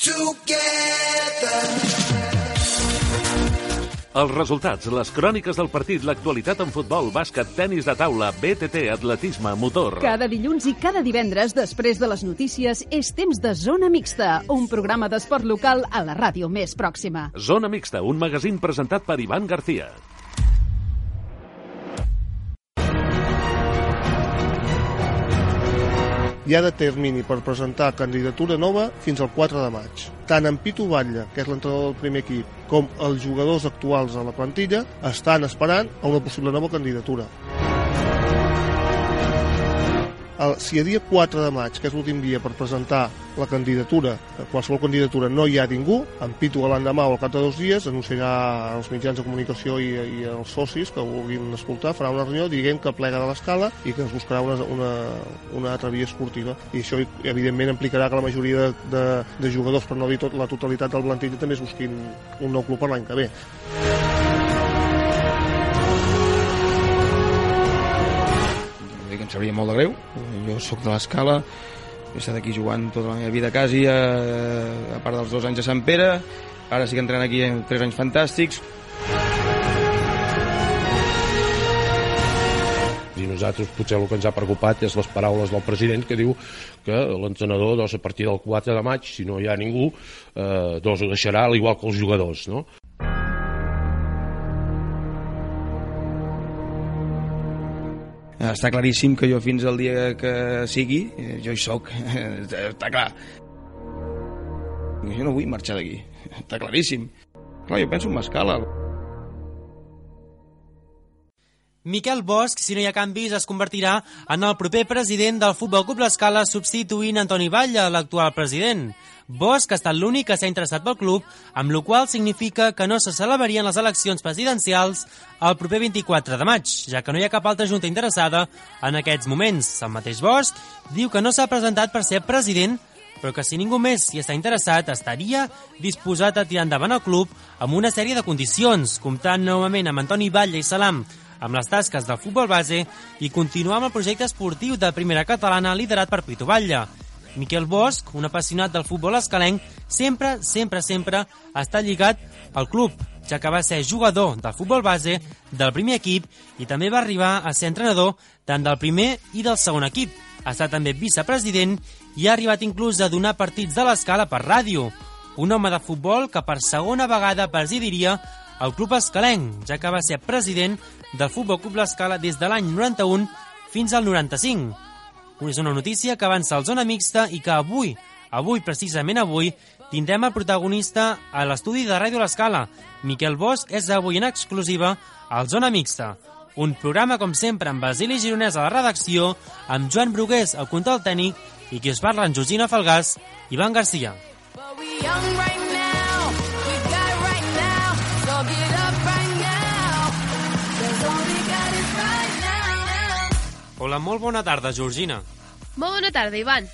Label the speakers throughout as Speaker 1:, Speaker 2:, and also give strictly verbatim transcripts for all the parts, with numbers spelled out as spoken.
Speaker 1: Els resultats, les cròniques del partit, l'actualitat en futbol, bàsquet, tenis de taula, B T T, atletisme, motor.
Speaker 2: Cada dilluns i cada divendres, després de les notícies, és temps de Zona Mixta, un programa d'esport local a la ràdio més pròxima.
Speaker 1: Zona Mixta, un magazín presentat per Ivan García.
Speaker 3: Hi ha de termini per presentar candidatura nova fins al quatre de maig. Tant en Pitu Batlle, que és l'entrenador del primer equip, com els jugadors actuals a la plantilla estan esperant a una possible nova candidatura. El, si a dia quatre de maig, que és l'últim dia per presentar la candidatura, qualsevol candidatura no hi ha ningú, en Pitu l'endemà o al cap de dos dies anunciarà als mitjans de comunicació i, i als socis que vulguin escoltar, farà una reunió dient que plega de l'escala i que es buscarà una, una, una altra via esportiva. I això evidentment implicarà que la majoria de, de, de jugadors, per no dir tot, la totalitat del plantilla, també es busquin un nou club per l'any que ve.
Speaker 4: Em sabria molt de greu. Jo sóc de l'Escala, he estat aquí jugant tota la meva vida quasi, a, a part dels dos anys a Sant Pere, ara sí que entrenem aquí en tres anys fantàstics.
Speaker 5: I nosaltres potser el que ens ha preocupat és les paraules del president que diu que l'entrenador doncs, a partir del quatre de maig, si no hi ha ningú, eh, doncs ho deixarà al igual que els jugadors, no?
Speaker 4: Està claríssim que jo fins al dia que sigui, jo hi soc, està clar. Jo no vull marxar d'aquí, està claríssim. Clar, jo penso en m'escala.
Speaker 6: Miquel Bosch, si no hi ha canvis, es convertirà en el proper president del Futbol Club L'Escala, substituint Antoni Batlle, l'actual president. Bosch ha estat l'únic que s'ha interessat pel club, amb la qual significa que no se celebrarien les eleccions presidencials el proper vint-i-quatre de maig, ja que no hi ha cap altra junta interessada en aquests moments. El mateix Bosch diu que no s'ha presentat per ser president, però que si ningú més hi està interessat, estaria disposat a tirar endavant el club amb una sèrie de condicions, comptant novament amb Antoni Batlle i Salam amb les tasques del futbol base i continuar amb el projecte esportiu de primera catalana liderat per Pitu Batlle. Miquel Bosch, un apassionat del futbol escalenc, sempre, sempre, sempre està lligat al club, ja que va ser jugador del futbol base, del primer equip i també va arribar a ser entrenador tant del primer i del segon equip. Ha estat també vicepresident i ha arribat inclús a donar partits de l'Escala per ràdio. Un home de futbol que per segona vegada presidiria el club escalenc, ja que va ser president del Futbol Club L'Escala des de l'any noranta-un fins al noranta-cinc. És una notícia que avança al Zona Mixta i que avui, avui, precisament avui, tindrem el protagonista a l'estudi de Ràdio L'Escala. Miquel Bosch és avui en exclusiva al Zona Mixta. Un programa, com sempre, amb Basili Gironès a la redacció, amb Joan Brugués al control tècnic i qui us parla en Georgina Falgàs i Ivan García. Hola, molt bona tarda, Georgina.
Speaker 7: Molt bona tarda, Ivan.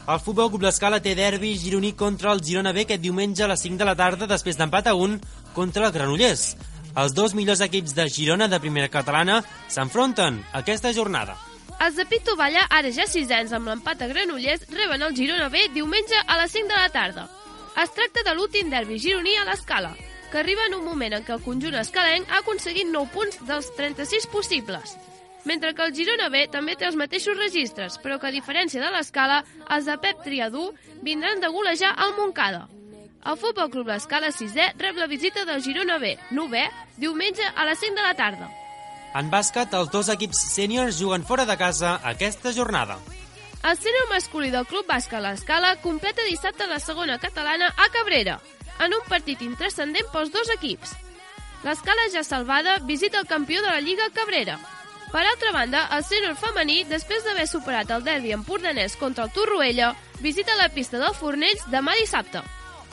Speaker 6: El Futbol Club L'Escala té derbi gironí contra el Girona B aquest diumenge a les cinc de la tarda després d'empat a un contra el Granollers. Els dos millors equips de Girona de primera catalana s'enfronten aquesta jornada.
Speaker 7: Els de Pitu Batlle, ara ja sisens amb l'empat a Granollers, reben el Girona B diumenge a les cinc de la tarda. Es tracta de l'últim derbi gironí a l'Escala, que arriba en un moment en què el conjunt escalenc ha aconseguit nou punts dels trenta-sis possibles. Mentre que el Girona B també té els mateixos registres, però que a diferència de l'Escala, els de Pep Triadú vindran de golejar al Montcada. El Futbol Club L'Escala sisè rep la visita del Girona B, novè, diumenge a les cinc de la tarda.
Speaker 6: En bàsquet, els dos equips sèniors juguen fora de casa aquesta jornada.
Speaker 7: El sènior masculí del Club Bàsquet L'Escala completa dissabte la segona catalana a Cabrera, en un partit intranscendent pels dos equips. L'Escala ja salvada visita el campió de la Lliga Cabrera. Per altra banda, el sènior femení, després d'haver superat el derbi empordanès contra el Torroella, visita la pista del Fornells demà dissabte.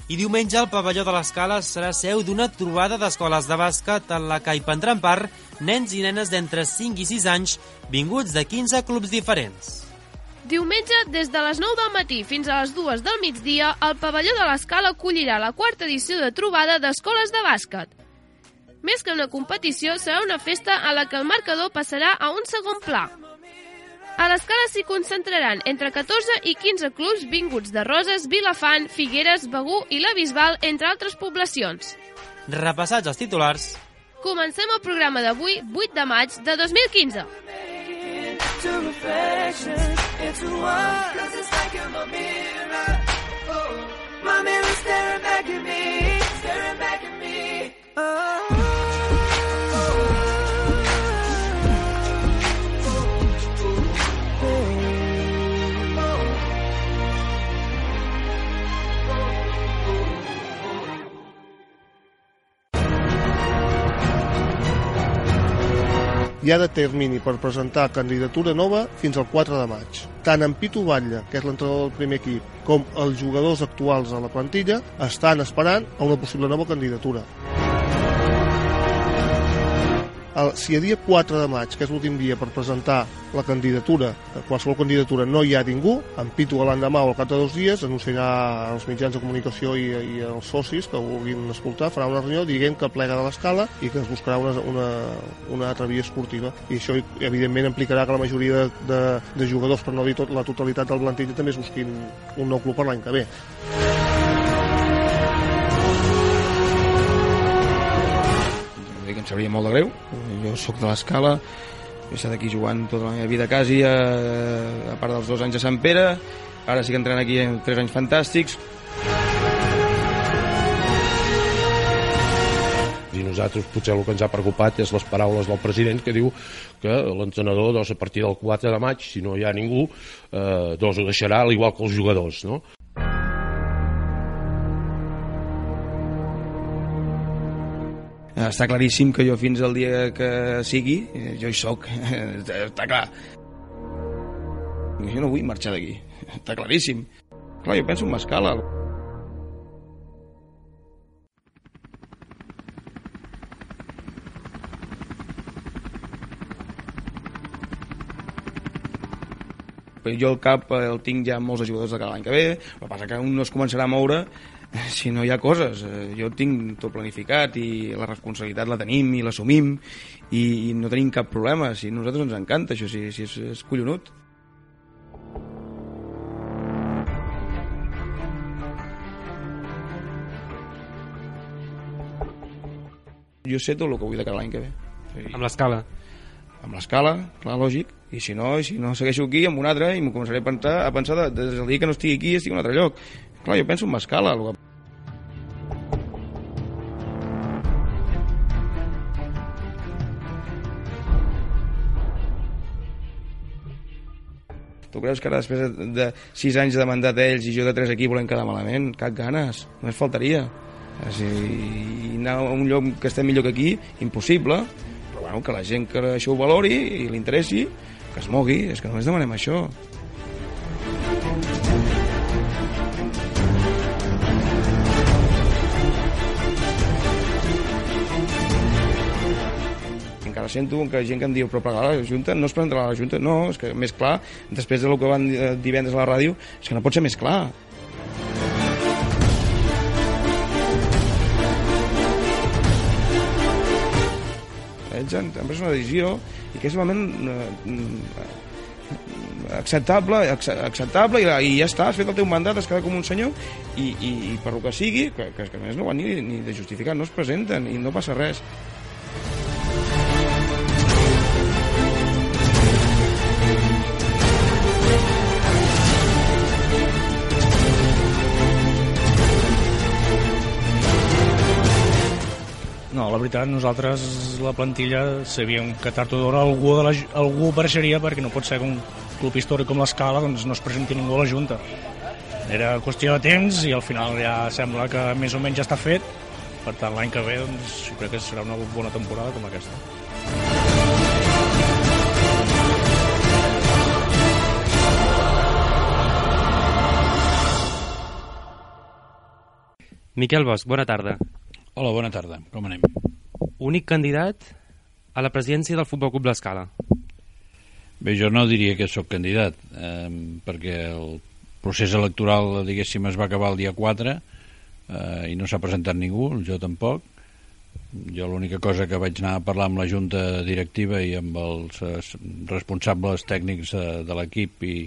Speaker 6: I diumenge el pavelló de l'Escala serà seu d'una trobada d'escoles de bàsquet en la que hi prendran part nens i nenes d'entre cinc i sis anys vinguts de quinze clubs diferents.
Speaker 7: Diumenge, des de les nou del matí fins a les dues del migdia, el pavelló de l'Escala acollirà la quarta edició de trobada d'escoles de bàsquet. Més que una competició, serà una festa a la que el marcador passarà a un segon pla. A l'Escala s'hi concentraran entre catorze i quinze clubs vinguts de Roses, Vilafant, Figueres, Begur i la Bisbal, entre altres poblacions.
Speaker 6: Repassats els titulars,
Speaker 7: comencem el programa d'avui, vuit de maig de dos mil quinze.
Speaker 3: Hi ha de termini per presentar candidatura nova fins al quatre de maig. Tant en Pitu Batlle, que és l'entrenador del primer equip, com els jugadors actuals a la plantilla estan esperant a una possible nova candidatura. El, si a dia quatre de maig, que és l'últim dia per presentar la candidatura, qualsevol candidatura no hi ha ningú, en Pitu l'endemà o al cap de dos dies anunciarà als mitjans de comunicació i, i als socis que ho vulguin escoltar, farà una reunió dient que plega de l'Escala i que es buscarà una, una, una altra via esportiva. I això evidentment implicarà que la majoria de, de, de jugadors, per no dir tot, la totalitat del plantilla, també es busquin un nou club per l'any que ve.
Speaker 4: Em sabria molt de greu. Jo sóc de l'Escala, he estat aquí jugant tota la meva vida quasi, a, a part dels dos anys a Sant Pere, ara sí que entrenem aquí en tres anys fantàstics.
Speaker 5: I nosaltres potser el que ens ha preocupat és les paraules del president que diu que l'entrenador doncs, a partir del quatre de maig, si no hi ha ningú, eh, doncs ho deixarà al igual que els jugadors, no?
Speaker 4: Està claríssim que jo fins al dia que sigui, jo hi soc, està clar. Jo no vull marxar d'aquí, està claríssim. Clar, jo penso en m'escala. Jo el cap el tinc ja amb molts jugadors de cada any que ve, però passa que un no es començarà a moure si no hi ha coses. Jo tinc tot planificat i la responsabilitat la tenim i l'assumim i, i no tenim cap problema. Si a nosaltres ens encanta això, si, si és, és collonut. Jo sé tot el que vull de cada any que ve. Sí.
Speaker 6: Amb l'Escala?
Speaker 4: Amb l'Escala, clar, lògic. I si no, si no segueixo aquí amb un altre i m'ho començaré a pensar, a pensar de, des del dia que no estigui aquí estigui en un altre lloc. Clar, jo penso en m'escala. Que... Tu creus que ara després de sis anys de mandat d'ells i jo de tres aquí volem quedar malament? Cap ganes, només faltaria. I anar a un lloc que estem millor que aquí, impossible. Però bueno, que la gent que això ho valori i li interessi, que es mogui, és que només demanem això. Encara sento que hi ha gent que em diu però plegar la Junta, no es presentarà a la Junta. No, és que més clar, després del que van divendres a la ràdio, és que no pot ser més clar. Ells han, han pres una decisió i que és realment eh, acceptable, acceptable i, i ja està, has fet el teu mandat, has quedat com un senyor i, i, i per lo que sigui, que, que, que a més no van ni, ni de justificar, no es presenten i no passa res.
Speaker 8: No, la veritat, nosaltres, la plantilla, sabíem que tard o d'hora algú, de la, algú apareixeria perquè no pot ser que un club històric com l'Escala doncs, no es presenti ningú a la Junta. Era qüestió de temps i al final ja sembla que més o menys ja està fet. Per tant, l'any que ve doncs, jo crec que serà una bona temporada com aquesta.
Speaker 6: Miquel Bosch, bona tarda.
Speaker 9: Hola, bona tarda. Com anem?
Speaker 6: Únic candidat a la presidència del Futbol Club l'Escala.
Speaker 9: Bé, jo no diria que sóc candidat, eh, perquè el procés electoral, diguéssim, es va acabar el dia quatre eh, i no s'ha presentat ningú, jo tampoc. jo l'única cosa que vaig anar a parlar amb la junta directiva i amb els eh, responsables tècnics eh, de l'equip i,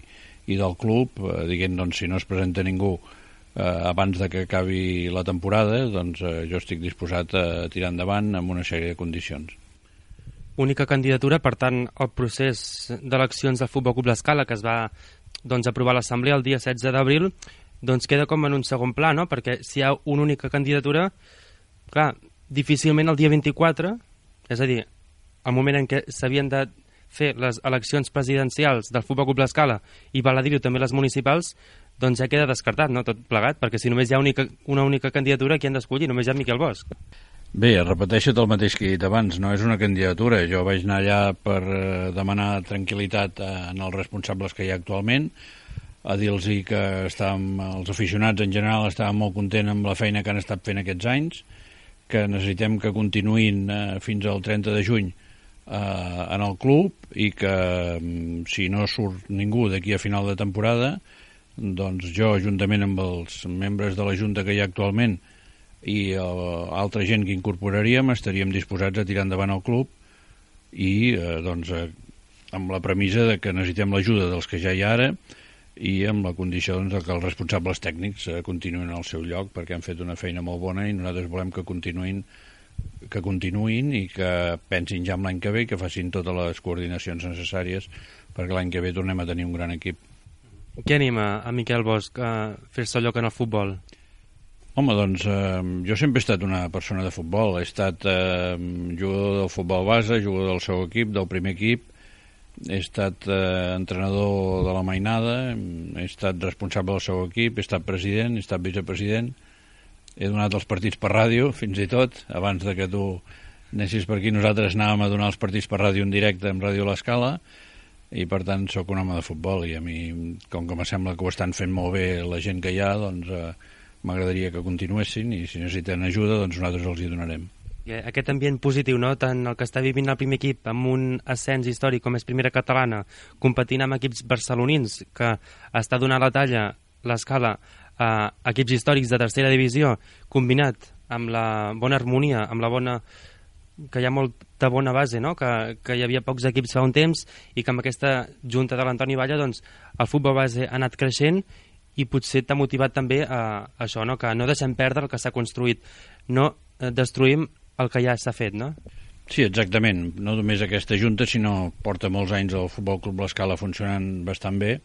Speaker 9: i del club, eh, dient doncs, si no es presenta ningú eh, abans de que acabi la temporada, doncs eh, jo estic disposat a tirar endavant amb una sèrie de condicions.
Speaker 6: Única candidatura, per tant, el procés d'eleccions del Futbol Club L'Escala, que es va doncs, aprovar a l'Assemblea el dia setze d'abril, doncs queda com en un segon pla, no? Perquè si hi ha una única candidatura, clar, difícilment el dia vint-i-quatre, és a dir, el moment en què s'havien de fer les eleccions presidencials del Futbol Club L'Escala i val a dir-ho també les municipals, doncs ja queda descartat, no?, tot plegat, perquè si només hi ha única, una única candidatura, qui han d'escollir? Només hi ha Miquel Bosch.
Speaker 9: Bé, repeteixo el mateix que he dit abans, no és una candidatura. Jo vaig anar allà per eh, demanar tranquil·litat en els responsables que hi ha actualment, a dir-los que estàvem, els aficionats en general estaven molt contents amb la feina que han estat fent aquests anys, que necessitem que continuïn eh, fins al trenta de juny eh, en el club i que mm, si no surt ningú d'aquí a final de temporada, doncs jo, juntament amb els membres de la Junta que hi ha actualment i uh, altra gent que incorporaríem, estaríem disposats a tirar endavant el club i eh, doncs, eh, amb la premissa de que necessitem l'ajuda dels que ja hi ha ara i amb la condició doncs, que els responsables tècnics eh, continuïn al seu lloc, perquè han fet una feina molt bona i nosaltres volem que continuïn que continuïn i que pensin ja en l'any que ve i que facin totes les coordinacions necessàries perquè l'any que ve tornem a tenir un gran equip.
Speaker 6: Què anima a Miquel Bosch a fer-se lloc en el futbol?
Speaker 9: Home, doncs eh, jo sempre he estat una persona de futbol. He estat eh, jugador del futbol base, jugador del seu equip, del primer equip. He estat eh, entrenador de la mainada, he estat responsable del seu equip, he estat president, he estat vicepresident. He donat els partits per ràdio, fins i tot. Abans de que tu anessis per aquí, nosaltres anàvem a donar els partits per ràdio en directe amb Ràdio L'Escala i, per tant, sóc un home de futbol i a mi, com que me sembla que ho estan fent molt bé la gent que hi ha, doncs... Eh, m'agradaria que continuessin i si necessiten ajuda doncs nosaltres els hi donarem.
Speaker 6: Aquest ambient positiu, no? Tant el que està vivint el primer equip amb un ascens històric com és Primera Catalana, competint amb equips barcelonins que està donant la talla, l'Escala, a equips històrics de tercera divisió, combinat amb la bona harmonia, amb la bona... que hi ha molta bona base, no? Que, que hi havia pocs equips fa un temps i que amb aquesta junta de l'Antoni Valla doncs, el futbol base ha anat creixent i potser t'ha motivat també a, a això, no? Que no deixem perdre el que s'ha construït, no destruïm el que ja s'ha fet, no?
Speaker 9: Sí, exactament. No només aquesta junta, sinó porta molts anys el Futbol Club L'Escala funcionant bastant bé.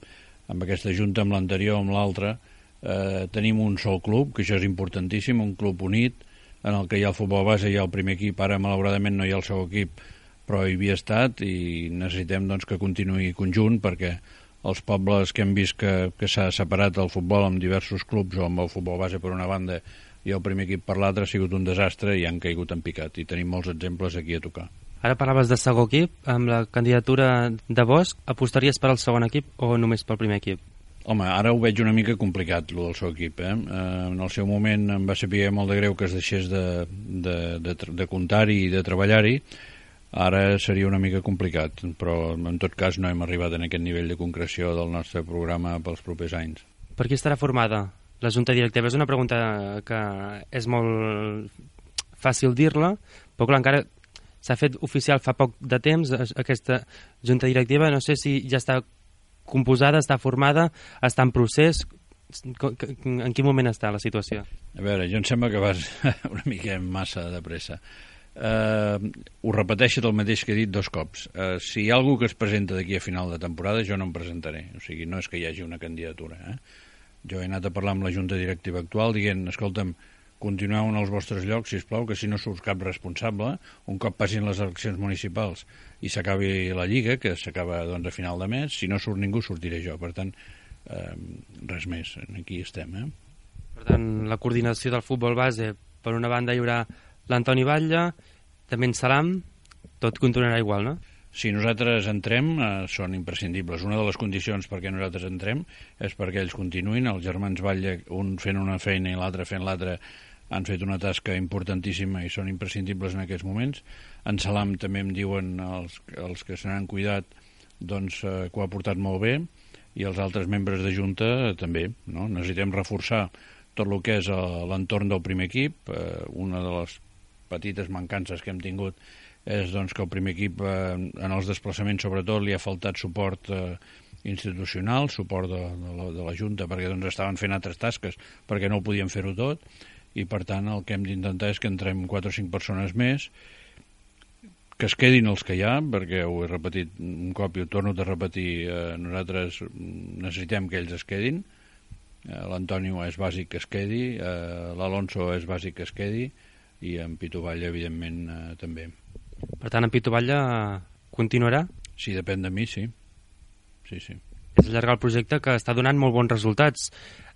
Speaker 9: Amb aquesta junta, amb l'anterior, amb l'altra, eh, tenim un sol club, que això és importantíssim, un club unit, en el que hi ha el futbol base, hi ha el primer equip, ara malauradament no hi ha el seu equip, però hi havia estat i necessitem doncs, que continuï conjunt perquè els pobles que hem vist que, que s'ha separat el futbol amb diversos clubs o amb el futbol base per una banda i el primer equip per l'altra ha sigut un desastre i han caigut en picat i tenim molts exemples aquí a tocar.
Speaker 6: Ara parlaves de segon equip, amb la candidatura de Bosch, apostaries per al segon equip o només pel primer equip?
Speaker 9: Home, ara ho veig una mica complicat, el del seu equip. Eh? Eh, en el seu moment em va saber molt de greu que es deixés de, de, de, de comptar-hi i de treballar-hi. Ara seria una mica complicat, però en tot cas no hem arribat en aquest nivell de concreció del nostre programa pels propers anys.
Speaker 6: Per qui estarà formada la Junta Directiva? És una pregunta que és molt fàcil dir-la, però clar, encara s'ha fet oficial fa poc de temps aquesta Junta Directiva. No sé si ja està composada, està formada, està en procés. En quin moment està la situació?
Speaker 9: A veure, jo em sembla que vas una mica massa de pressa. Uh, ho repeteixo el mateix que he dit dos cops. Uh, si hi ha algú que es presenta d'aquí a final de temporada, jo no em presentaré. O sigui, no és que hi hagi una candidatura. Eh? Jo he anat a parlar amb la Junta Directiva actual dient, escolta'm, continueu en els vostres llocs, sisplau, que si no surt cap responsable, un cop passin les eleccions municipals i s'acabi la Lliga, que s'acaba doncs, a final de mes, si no surt ningú, sortiré jo. Per tant, uh, res més. Aquí estem. Eh?
Speaker 6: Per tant, la coordinació del futbol base, per una banda hi haurà l'Antoni Batlle, també en Salam, tot continuarà igual, no?
Speaker 9: Si nosaltres entrem, eh, són imprescindibles. Una de les condicions perquè nosaltres entrem és perquè ells continuïn. Els germans Batlle, un fent una feina i l'altre fent l'altra, han fet una tasca importantíssima i són imprescindibles en aquests moments. En Salam també em diuen els, els que se n'han cuidat doncs, eh, que ho ha portat molt bé i els altres membres de Junta eh, també. No? Necessitem reforçar tot el que és l'entorn del primer equip. Eh, una de les petites mancances que hem tingut és doncs, que el primer equip eh, en els desplaçaments sobretot li ha faltat suport eh, institucional, suport de, de, la, de la Junta, perquè doncs, estaven fent altres tasques perquè no ho podien fer-ho tot, i per tant el que hem d'intentar és que entrem quatre o cinc persones més, que es quedin els que hi ha, perquè ho he repetit un cop i ho torno a repetir, eh, nosaltres necessitem que ells es quedin. L'Antonio és bàsic que es quedi, eh, l'Alonso és bàsic que es quedi, i en Pitu Batlle, evidentment, eh, també.
Speaker 6: Per tant, en Pitu Batlle continuarà?
Speaker 9: Sí, depèn de mi, sí. Sí, sí.
Speaker 6: És allargar el projecte que està donant molt bons resultats.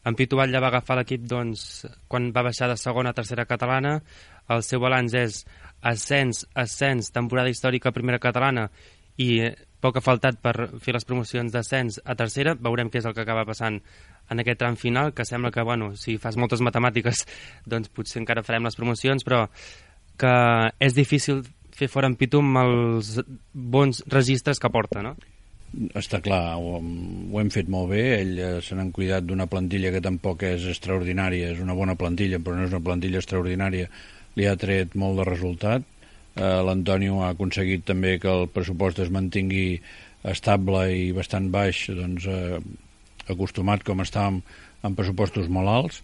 Speaker 6: En Pitu Batlle va agafar l'equip doncs, quan va baixar de segona a tercera catalana. El seu balanç és ascens, ascens, temporada històrica a primera catalana, i poc ha faltat per fer les promocions d'ascens a tercera. Veurem què és el que acaba passant en aquest tram final, que sembla que, bueno, si fas moltes matemàtiques, doncs potser encara farem les promocions, però que és difícil fer fora en Pitu amb els bons registres que porta, no?
Speaker 9: Està clar, ho, ho hem fet molt bé, ell eh, se n'han cuidat d'una plantilla que tampoc és extraordinària, és una bona plantilla, però no és una plantilla extraordinària, li ha tret molt de resultat. Eh, L'Antonio ha aconseguit també que el pressupost es mantingui estable i bastant baix, doncs eh, acostumat com estàvem amb pressupostos molt alts,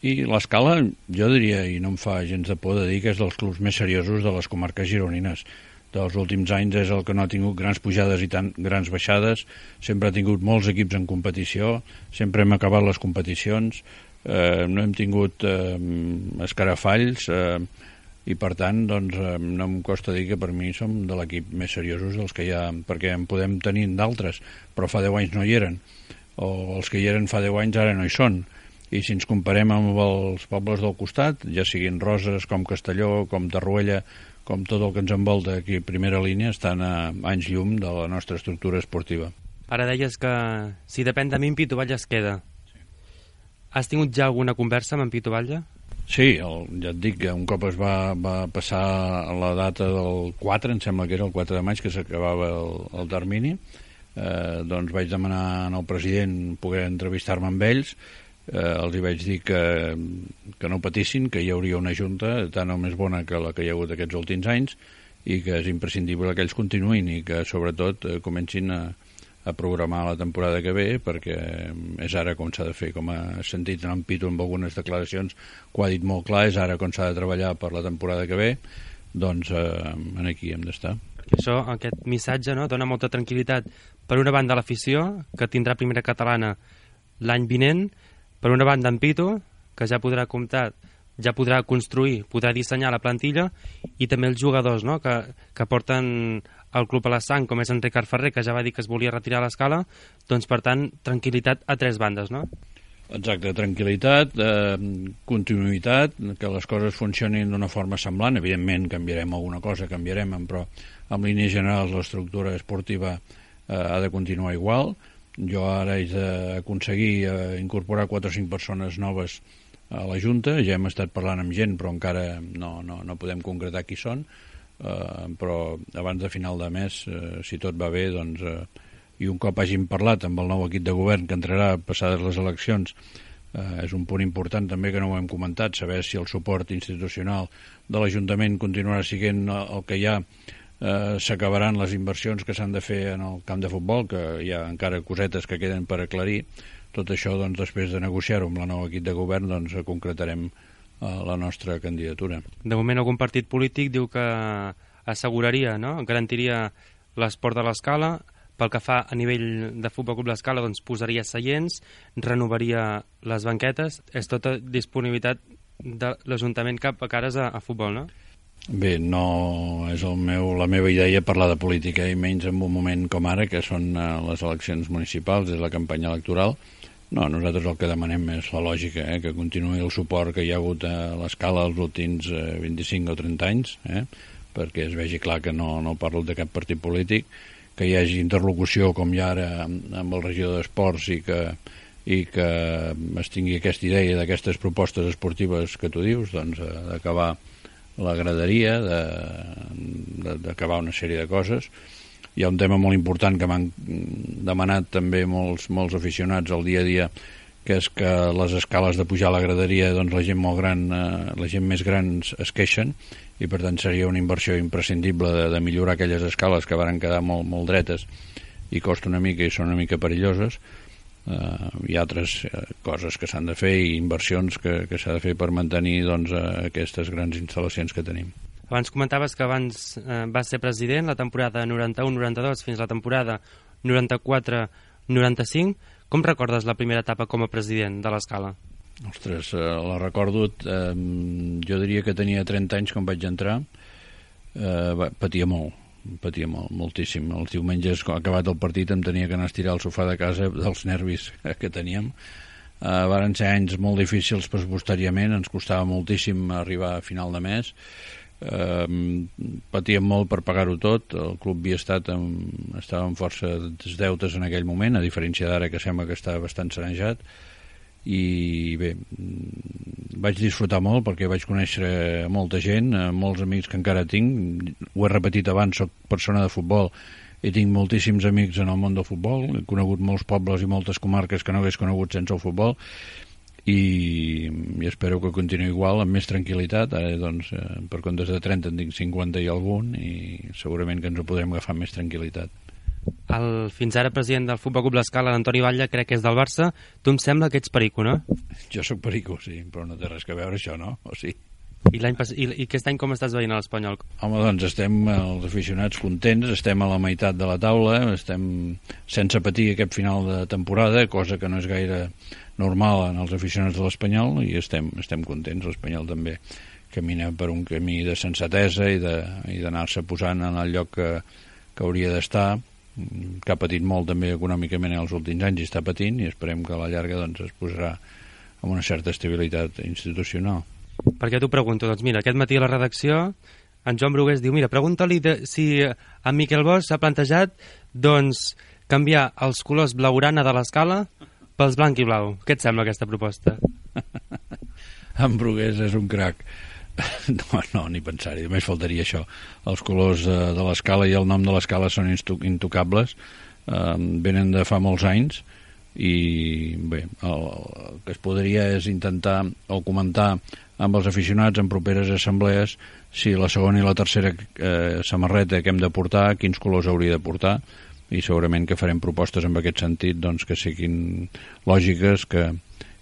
Speaker 9: i l'Escala, jo diria, i no em fa gens de por de dir, que és dels clubs més seriosos de les comarques gironines. Dels últims anys és el que no ha tingut grans pujades i tan grans baixades, sempre ha tingut molts equips en competició, sempre hem acabat les competicions, eh, no hem tingut eh, escarafalls, eh, i per tant doncs, eh, no em costa dir que per mi som de l'equip més seriosos dels que hi ha, perquè en podem tenir d'altres, però fa deu anys no hi eren, o els que hi eren fa deu anys ara no hi són, i si ens comparem amb els pobles del costat, ja siguin Roses, com Castelló, com Tarruella, com tot el que ens envolta aquí a primera línia, estan a anys llum de la nostra estructura esportiva.
Speaker 6: Ara deies que si depèn de mi, en Pitu Batlle es queda. Sí. Has tingut ja alguna conversa amb en Pitu Batlle?
Speaker 9: Sí, el, ja et dic que un cop es va, va passar la data del quatre, em sembla que era el quatre de maig, que s'acabava el, el termini, eh, doncs vaig demanar al president poder entrevistar-me amb ells. Eh, els hi vaig dir que, que no patissin, que hi hauria una junta tan o més bona que la que hi ha hagut aquests últims anys, i que és imprescindible que ells continuïn i que sobretot eh, comencin a, a programar la temporada que ve, perquè és ara com s'ha de fer, com ha sentit en Pitu amb algunes declaracions, que ho ha dit molt clar, és ara com s'ha de treballar per la temporada que ve, doncs eh, aquí hem d'estar.
Speaker 6: Això, aquest missatge, no, dona molta tranquil·litat per una banda a l'afició, que tindrà primera catalana l'any vinent, per una banda en Pitu, que ja podrà comptar, ja podrà construir, podrà dissenyar la plantilla, i també els jugadors, no?, que, que porten el club a la sang, com és en Ricard Ferrer, que ja va dir que es volia retirar a l'Escala, doncs per tant, tranquil·litat a tres bandes, no?
Speaker 9: Exacte, tranquil·litat, eh, continuïtat, que les coses funcionin d'una forma semblant. Evidentment canviarem alguna cosa, canviarem, però en línies generals l'estructura esportiva eh, ha de continuar igual. Jo ara he d'aconseguir eh, incorporar quatre o cinc persones noves a la Junta. Ja hem estat parlant amb gent, però encara no, no, no podem concretar qui són. Eh, però abans de final de mes, eh, si tot va bé, doncs, eh, i un cop hàgim parlat amb el nou equip de govern que entrarà passades les eleccions, eh, és un punt important també que no ho hem comentat, saber si el suport institucional de l'Ajuntament continuarà sent el que hi ha. Eh, s'acabaran les inversions que s'han de fer en el camp de futbol, que hi ha encara cosetes que queden per aclarir. Tot això, doncs, després de negociar-ho amb el nou equip de govern, doncs, concretarem eh, la nostra candidatura.
Speaker 6: De moment algun partit polític diu que asseguraria, no?, garantiria l'esport de l'Escala. Pel que fa a nivell de Futbol Club l'Escala, doncs posaria seients, renovaria les banquetes. És tota disponibilitat de l'Ajuntament cap a cares a, a futbol, no?
Speaker 9: Bé, no és el meu, la meva idea parlar de política, i menys en un moment com ara, que són uh, les eleccions municipals, és la campanya electoral. No, nosaltres el que demanem és la lògica, eh, que continuï el suport que hi ha hagut a l'Escala els últims eh, vint-i-cinc o trenta anys, eh, perquè es vegi clar que no, no parlo de cap partit polític, que hi hagi interlocució com hi ha ara amb, amb el regidor d'Esports, i que, i que es tingui aquesta idea d'aquestes propostes esportives que tu dius, doncs eh, d'acabar la graderia, d'acabar una sèrie de coses. Hi ha un tema molt important que m'han demanat també molts, molts aficionats al dia a dia, que és que les escales de pujar a la graderia, doncs la gent molt gran, eh, la gent més gran es queixen, i per tant seria una inversió imprescindible de, de millorar aquelles escales que varen quedar molt, molt dretes i costa una mica i són una mica perilloses. Uh, hi ha altres uh, coses que s'han de fer i inversions que, que s'ha de fer per mantenir doncs, uh, aquestes grans instal·lacions que tenim.
Speaker 6: Abans comentaves que abans eh, vas ser president la temporada noranta-u noranta-dos fins la temporada noranta-quatre noranta-cinc. Com recordes la primera etapa com a president de l'Escala?
Speaker 9: Ostres, eh, la recordo, eh, jo diria que tenia trenta anys quan vaig entrar, eh, patia molt. patia molt, moltíssim. Els diumenges, acabat el partit, em tenia que anar a estirar al sofà de casa dels nervis que teníem. Uh, varen ser anys molt difícils pressupostàriament, ens costava moltíssim arribar a final de mes. Uh, patíem molt per pagar-ho tot. El club havia estat amb, estava amb força deutes en aquell moment, a diferència d'ara que sembla que està bastant sanejat. I bé, vaig disfrutar molt perquè vaig conèixer molta gent, molts amics que encara tinc. Ho he repetit abans, soc persona de futbol i tinc moltíssims amics en el món del futbol. He conegut molts pobles i moltes comarques que no hagués conegut sense el futbol, i, i espero que continuï igual, amb més tranquil·litat. Ara, doncs, per comptes de trenta en tinc cinquanta i algun, i segurament que ens ho podrem agafar amb més tranquil·litat.
Speaker 6: El fins ara president del Futbol Club L'Escala, l'Antoni Batlle, crec que és del Barça. Tu em sembla que ets perico, no?
Speaker 9: Jo sóc perico, sí, però no té res a veure això, no? O sí.
Speaker 6: I, l'any pas... I, I aquest any com estàs veient a l'Espanyol?
Speaker 9: Home, doncs estem, els aficionats, contents, estem a la meitat de la taula, estem sense patir aquest final de temporada, cosa que no és gaire normal en els aficionats de l'Espanyol, i estem, estem contents. L'Espanyol també camina per un camí de sensatesa i d'anar-se posant en el lloc que, que hauria d'estar, que ha patit molt també econòmicament en els últims anys i està patint, i esperem que a la llarga doncs, es posarà amb una certa estabilitat institucional.
Speaker 6: Per què t'ho pregunto? Doncs mira, aquest matí a la redacció en Joan Brugués diu, mira, pregunta-li de, si en Miquel Bosch s'ha plantejat doncs canviar els colors blaugrana de l'Escala pels blanc i blau. Què et sembla aquesta proposta?
Speaker 9: En Brugués és un crac. No, no, ni pensar-hi, només faltaria això. Els colors de, de l'Escala i el nom de l'Escala són intocables, eh, venen de fa molts anys, i bé, el, el que es podria és intentar o comentar amb els aficionats en properes assemblees si la segona i la tercera eh, samarreta que hem de portar, quins colors hauria de portar, i segurament que farem propostes en aquest sentit, doncs, que siguin lògiques, que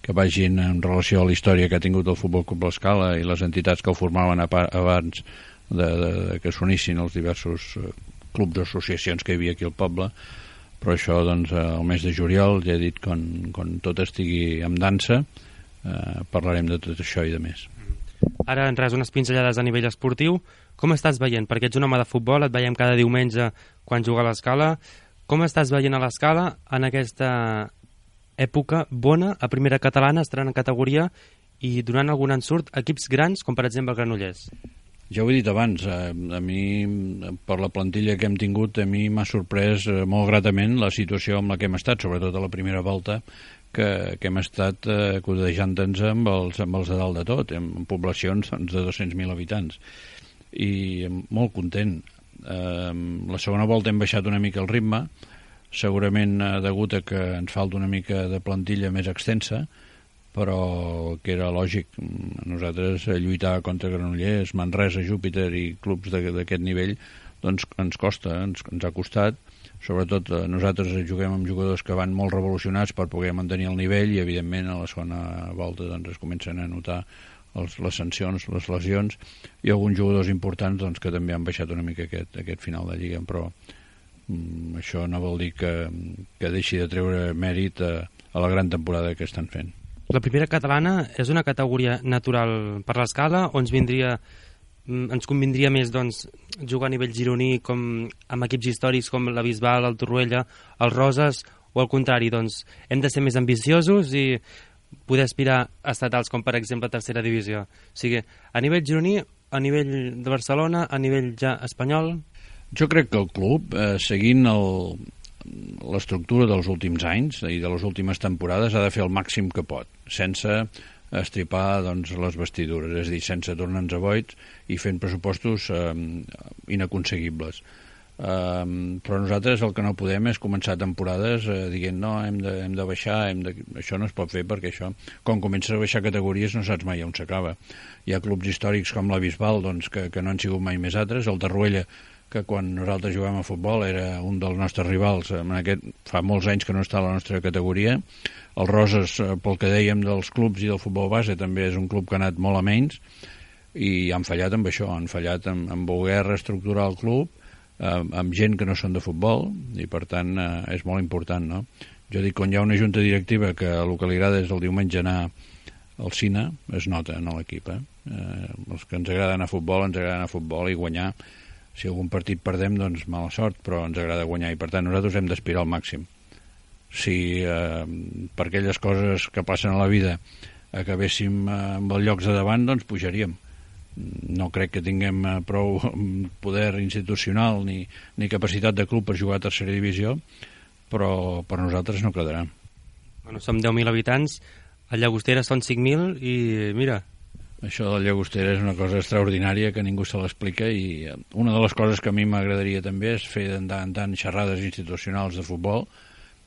Speaker 9: que vagin en relació a la història que ha tingut el Futbol Club L'Escala i les entitats que el formaven abans de, de, de que s'unissin els diversos clubs o associacions que hi havia aquí al poble. Però això, doncs, el mes de juliol, ja he dit, quan, quan tot estigui en dansa, eh, parlarem de tot això i de més.
Speaker 6: Ara, en res, unes pinzellades a nivell esportiu. Com estàs veient? Perquè ets un home de futbol, et veiem cada diumenge quan juga a l'Escala. Com estàs veient a l'Escala en aquesta època bona a primera catalana, estarà en categoria i donant algun ensurt equips grans com per exemple el Granollers?
Speaker 9: Ja ho he dit abans, a, a mi per la plantilla que hem tingut a mi m'ha sorprès molt gratament la situació amb la que hem estat, sobretot a la primera volta que, que hem estat eh, codejant-nos amb els, amb els de dalt de tot, en poblacions doncs, de dos-cents mil habitants, i molt content. Eh, la segona volta hem baixat una mica el ritme, segurament degut a que ens falta una mica de plantilla més extensa, però que era lògic. Nosaltres lluitar contra Granollers, Manresa, Júpiter i clubs d'aquest nivell doncs ens costa, ens, ens ha costat. Sobretot nosaltres juguem amb jugadors que van molt revolucionats per poder mantenir el nivell, i evidentment a la segona volta doncs, es comencen a notar els, les sancions, les lesions, i alguns jugadors importants doncs, que també han baixat una mica aquest, aquest final de Lliga, però Mm, això no vol dir que, que deixi de treure mèrit a, a la gran temporada que estan fent.
Speaker 6: La primera catalana és una categoria natural per l'Escala o ens vindria ens convindria més doncs, jugar a nivell gironí com amb equips històrics com la Bisbal, el Torroella, els Roses, o al contrari, doncs hem de ser més ambiciosos i poder aspirar a estatals com per exemple tercera divisió? O sigui, a nivell gironí, a nivell de Barcelona, a nivell ja espanyol?
Speaker 9: Jo crec que el club, eh, seguint l'estructura dels últims anys i de les últimes temporades, ha de fer el màxim que pot, sense estripar doncs, les vestidures, és a dir, sense tornar-nos a boits i fent pressupostos eh, inaconseguibles. Um, però nosaltres el que no podem és començar temporades uh, dient no, hem de, hem de baixar, hem de... això no es pot fer perquè això, quan comences a baixar categories no saps mai on s'acaba. Hi ha clubs històrics com la Bisbal, doncs, que, que no han sigut mai més altres, el Tarruella, que quan nosaltres jugàvem a futbol era un dels nostres rivals, en aquest, fa molts anys que no està a la nostra categoria. El Roses, pel que dèiem dels clubs i del futbol base, també és un club que ha anat molt a menys i han fallat amb això, han fallat en, en voler reestructurar el club amb gent que no són de futbol i per tant eh, és molt important, no? Jo dic, quan hi ha una junta directiva que el que li agrada és el diumenge anar al cine, es nota en l'equip, eh? Eh, els que ens agrada anar a futbol ens agrada anar a futbol i guanyar. Si algun partit perdem, doncs mala sort, però ens agrada guanyar i per tant nosaltres hem d'aspirar al màxim. Si eh, per aquelles coses que passen a la vida acabéssim eh, amb els llocs de davant, doncs pujaríem. No crec que tinguem prou poder institucional ni, ni capacitat de club per jugar a tercera divisió, però per nosaltres no quedarà.
Speaker 6: Bueno, som deu mil habitants, a Llagostera són cinc mil i mira...
Speaker 9: Això del Llagostera és una cosa extraordinària que ningú se l'explica i una de les coses que a mi m'agradaria també és fer de tant en tant xerrades institucionals de futbol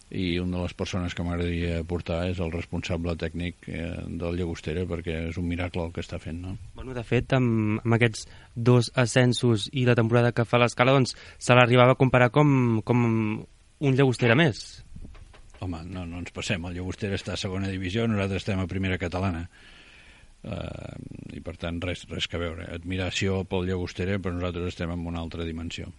Speaker 9: i una de les persones que m'agradaria portar és el responsable tècnic eh, del Llagostera perquè és un miracle el que està fent, no?
Speaker 6: Bueno, de fet, amb, amb aquests dos ascensos i la temporada que fa l'Escala, doncs se l'arribava a comparar com, com un Llagostera més.
Speaker 9: Home, no, no ens passem, el Llagostera està a segona divisió, nosaltres estem a primera catalana. Uh, i per tant res, res que veure. Admiració pel Llagostera, però nosaltres estem en una altra dimensió.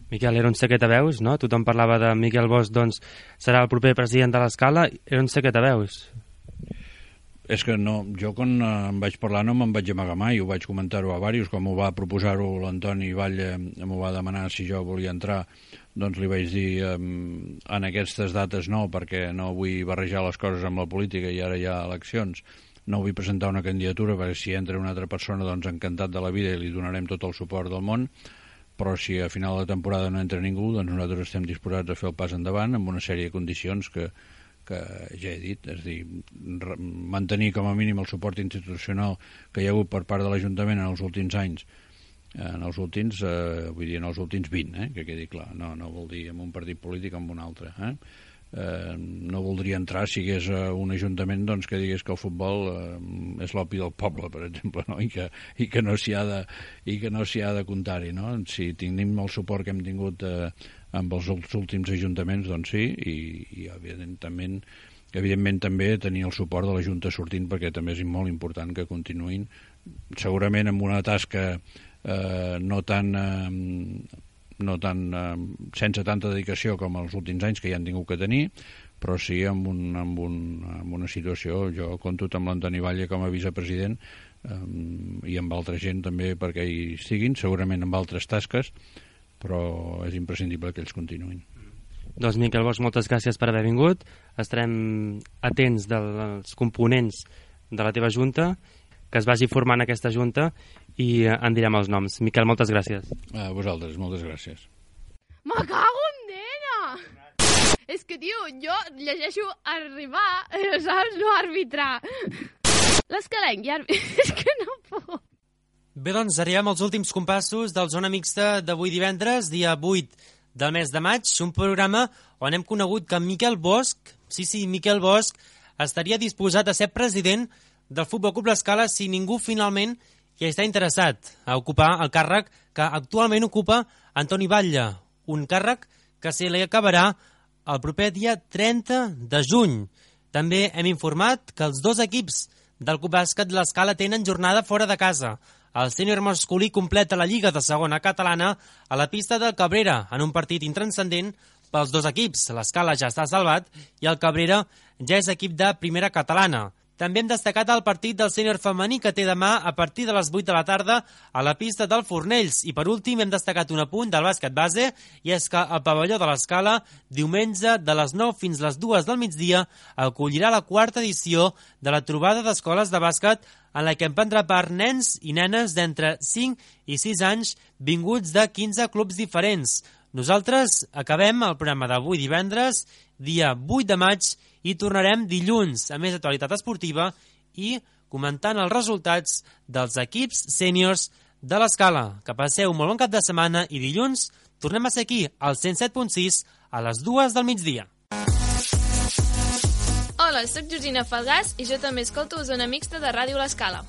Speaker 6: Miquel, era un secret a veus, no? Tothom parlava de Miquel Bosch, doncs serà el proper president de l'Escala. Era un secret a veus.
Speaker 9: És que no, jo quan em vaig parlar no me'n vaig amagar mai, ho vaig comentar-ho a diversos, com ho va proposar-ho l'Antoni Batlle, m'ho va demanar si jo volia entrar, doncs li vaig dir en aquestes dates no, perquè no vull barrejar les coses amb la política i ara hi ha eleccions, no vull presentar una candidatura perquè si entra una altra persona doncs encantat de la vida i li donarem tot el suport del món, però si a final de temporada no entra ningú, doncs nosaltres estem disposats a fer el pas endavant amb una sèrie de condicions que, que ja he dit, és a dir, mantenir com a mínim el suport institucional que hi ha hagut per part de l'Ajuntament en els últims anys, en els últims, eh, vull dir, en els últims vint, eh, que quedi clar, no, no vol dir en un partit polític o en un altre, eh? Eh, no voldria entrar si hagués uh, un ajuntament doncs, que digués que el futbol uh, és l'opi del poble, per exemple, no? I que, i que no s'hi ha de, i que no s'hi ha de comptar-hi, no? Si tenim el suport que hem tingut uh, amb els últims ajuntaments, doncs sí, i, i evidentment, evidentment també tenir el suport de la Junta sortint, perquè també és molt important que continuïn, segurament amb una tasca uh, no tan... Uh, no tan, eh, sense tanta dedicació com els últims anys que ja han tingut que tenir, però sí amb, un, amb, un, amb una situació, jo compto amb l'Antoni Batlle com a vicepresident eh, i amb altra gent també perquè hi estiguin, segurament amb altres tasques, però és imprescindible que ells continuïn.
Speaker 6: Doncs Miquel Bosch, moltes gràcies per haver vingut, estarem atents dels components de la teva junta, que es vagi formant aquesta junta i en direm els noms. Miquel, moltes gràcies.
Speaker 9: A vosaltres, moltes gràcies.
Speaker 7: Me cago en nena! És que, tio, jo llegeixo arribar, saps? No arbitrar. L'escalenc, ja... És que no puc.
Speaker 6: Bé, doncs, arribem als últims compassos del Zona Mixta d'avui divendres, dia vuit del mes de maig, un programa on hem conegut que Miquel Bosch, sí, sí, Miquel Bosch, estaria disposat a ser president del Futbol Club L'Escala si ningú finalment hi està interessat a ocupar el càrrec que actualment ocupa Antoni Batlle, un càrrec que se li acabarà el proper dia trenta de juny. També hem informat que els dos equips del Club Bàsquet L'Escala tenen jornada fora de casa. El sènior masculí completa la Lliga de Segona Catalana a la pista del Cabrera en un partit intranscendent pels dos equips. L'Escala ja està salvat i el Cabrera ja és equip de Primera Catalana. També hem destacat el partit del sènior femení que té demà a partir de les vuit de la tarda a la pista del Fornells. I per últim hem destacat un apunt del bàsquet base i és que el pavelló de l'Escala diumenge de les nou fins les dues del migdia acollirà la quarta edició de la trobada d'escoles de bàsquet en la que en prendrà part nens i nenes d'entre cinc i sis anys vinguts de quinze clubs diferents. Nosaltres acabem el programa d'avui divendres, dia vuit de maig, i tornarem dilluns a més actualitat esportiva i comentant els resultats dels equips sèniors de l'Escala. Que passeu un molt bon cap de setmana i dilluns Tornem a ser aquí, al cent set punt sis, a les dues del migdia.
Speaker 10: Hola, sóc Georgina Falgàs i jo també escolto Zona Mixta de Ràdio L'Escala.